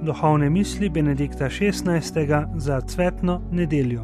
duhovne misli Benedikta XVI. Za cvetno nedeljo.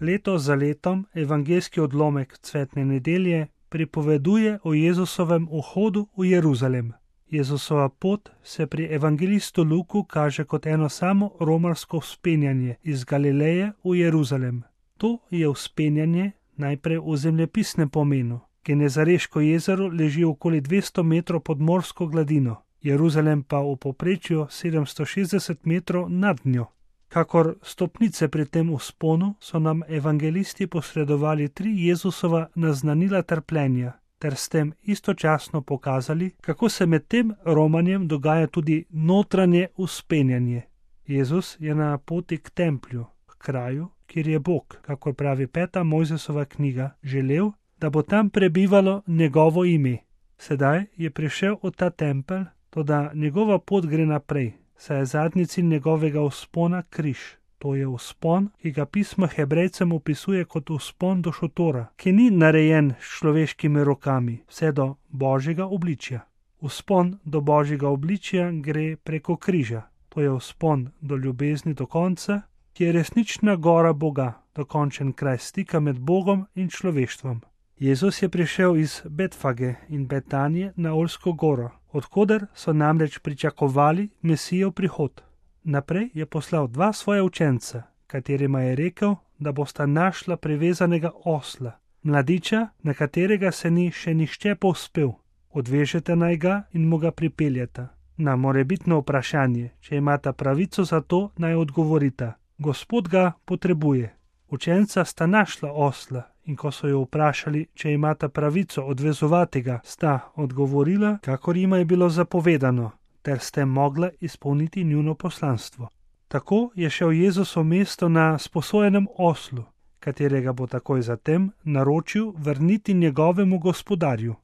Leto za letom evangeljski odlomek cvetne nedelje pripoveduje o Jezusovem vhodu v Jeruzalem. Jezusova pot se pri evangelistu Luku kaže kot eno samo romarsko vzpenjanje iz Galileje v Jeruzalem. To je vzpenjanje najprej v zemljepisnem pomenu. Genezareško jezero leži okoli 200 metrov pod morsko gladino, Jeruzalem pa v povprečju 760 metrov nad njo. Kakor stopnice pri tem vzponu so nam evangelisti posredovali 3 Jezusova naznanila trpljenja, ter s tem istočasno pokazali, kako se med tem romanjem dogaja tudi notranje vzpenjanje. Jezus je na poti k templju, k kraju, kjer je Bog, kakor pravi 5. Mojzesova knjiga, želel, da bo tam prebivalo njegovo ime. Sedaj je prišel v ta tempelj, toda njegova pot gre naprej, saj je zadnji cilj njegovega vzpona križ. To je vzpon, ki ga pismo Hebrejcem opisuje kot vzpon do šotora, ki ni narejen s človeškimi rokami, vse do Božjega obličja. Vzpon do Božjega obličja gre preko križa. To je vzpon do ljubezni do konca, ki je resnična gora Boga, dokončen kraj stika med Bogom in človeštvom. Jezus je prišel iz Betfage in Betanije na Oljsko goro, odkoder so namreč pričakovali Mesijev prihod. Naprej je poslal 2 svoja učenca, katerima je rekel, da bosta našla privezanega osla, mladiča, na katerega se ni še nihče povzpel. Odvežete naj ga in mu ga pripeljeta. Na morebitno vprašanje, če imata pravico za to, naj odgovorita: Gospod ga potrebuje. Učenca sta našla osla in ko so jo vprašali, če imata pravico odvezovati ga, sta odgovorila, kakor jima je bilo zapovedano, ter s tem mogla izpolniti njuno poslanstvo. Tako je šel Jezus v mesto na sposojenem oslu, katerega bo takoj zatem naročil vrniti njegovemu gospodarju.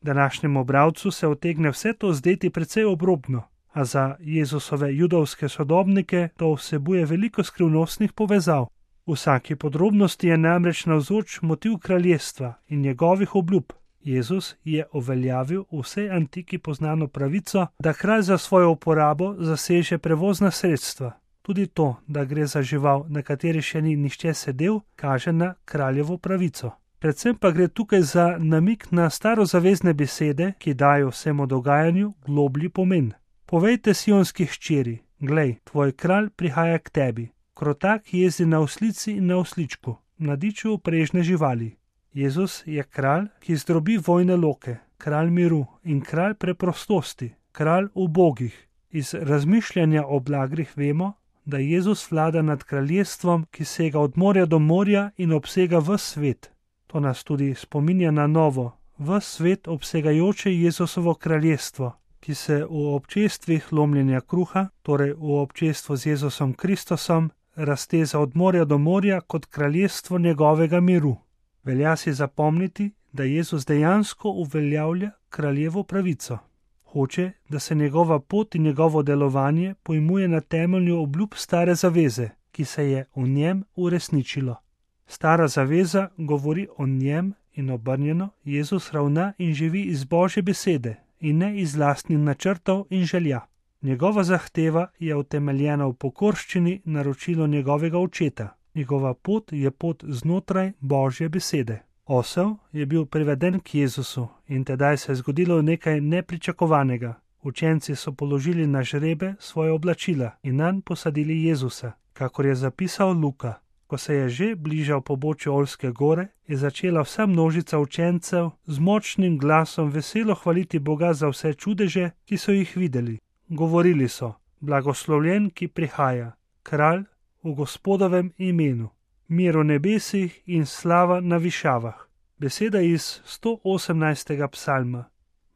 Današnjemu bralcu se utegne vse to zdeti precej obrobno, a za Jezusove judovske sodobnike to vsebuje veliko skrivnostnih povezav. V vsaki podrobnosti je namreč navzoč motiv kraljestva in njegovih obljub. Jezus je uveljavil v vsej antiki poznano pravico, da kralj za svojo uporabo zaseže prevozna sredstva. Tudi to, da gre za žival, na kateri še ni nihče sedel, kaže na kraljevo pravico. Predvsem pa gre tukaj za namik na starozavezne besede, ki dajo vsemu dogajanju globlji pomen. Povejte sionski hčeri: glej, tvoj kralj prihaja k tebi. Krotak jezdi na oslici in na osličku, mladiču prežne živali. Jezus je kralj, ki zdrobi vojne loke, kralj miru in kralj preprostosti, kralj ubogih. Iz razmišljanja o blagrih vemo, da Jezus vlada nad kraljestvom, ki sega od morja do morja in obsega ves svet. To nas tudi spominja na novo, ves svet obsegajoče Jezusovo kraljestvo, ki se v občestvih lomljenja kruha, torej v občestvu z Jezusom Kristusom, razteza od morja do morja kot kraljestvo njegovega miru. Velja si zapomniti, da Jezus dejansko uveljavlja kraljevo pravico. Hoče, da se njegova pot in njegovo delovanje pojmuje na temelju obljub stare zaveze, ki se je v njem uresničilo. Stara zaveza govori o njem in obrnjeno, Jezus ravna in živi iz Božje besede in ne iz lastnih načrtov in želja. Njegova zahteva je utemeljena v pokorščini naročilo njegovega očeta. Njegova pot je pot znotraj Božje besede. Osel je bil priveden k Jezusu in tedaj se je zgodilo nekaj nepričakovanega. Učenci so položili na žrebe svoje oblačila in nanj posadili Jezusa, kakor je zapisal Luka. Ko se je že bližal pobočju Oljske gore, je začela vsa množica učencev z močnim glasom veselo hvaliti Boga za vse čudeže, ki so jih videli. Govorili so: blagoslovljen, ki prihaja, kralj v Gospodovem imenu, mir v nebesih in slava na višavah. Beseda iz 118. psalma,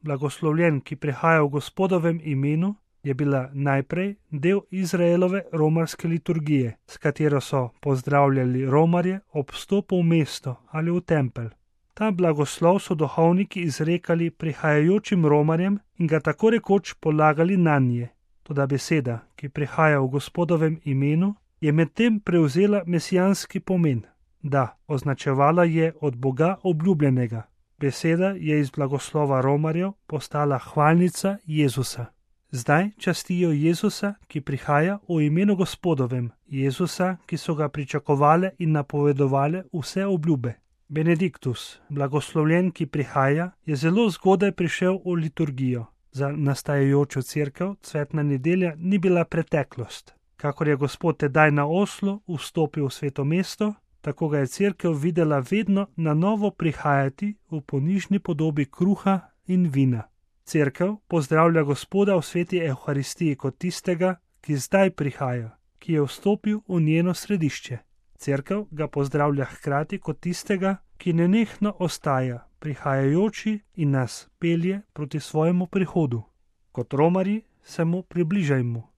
blagoslovljen, ki prihaja v Gospodovem imenu, je bila najprej del Izraelove romarske liturgije, s katero so pozdravljali romarje ob vstopu v mesto ali v tempelj. Ta blagoslov so duhovniki izrekali prihajajočim romarjem in ga tako rekoč polagali nanje. Toda beseda, ki prihaja v Gospodovem imenu, je medtem prevzela mesijanski pomen. Da, označevala je od Boga obljubljenega. Beseda je iz blagoslova Romarjev postala hvalnica Jezusa. Zdaj častijo Jezusa, ki prihaja v imenu Gospodovem, Jezusa, ki so ga pričakovale in napovedovale vse obljube. Benediktus, blagoslovljen, ki prihaja, je zelo zgodaj prišel v liturgijo. Za nastajajočo cerkev cvetna nedelja ni bila preteklost. Kakor je Gospod tedaj na Oslu vstopil v sveto mesto, tako ga je cerkev videla vedno na novo prihajati v ponižni podobi kruha in vina. Cerkev pozdravlja Gospoda v sveti Evharistiji kot tistega, ki zdaj prihaja, ki je vstopil v njeno središče. Cerkev ga pozdravlja hkrati kot tistega, ki nenehno ostaja, prihajajoči in nas pelje proti svojemu prihodu. Kot romarji se mu približajmo.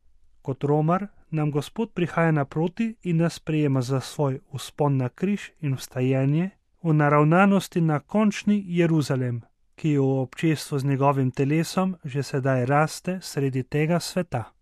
Kot romar nam Gospod prihaja naproti in nas sprejema za svoj vzpon na križ in vstajenje v naravnanosti na končni Jeruzalem, ki v občestvu z njegovim telesom že sedaj raste sredi tega sveta.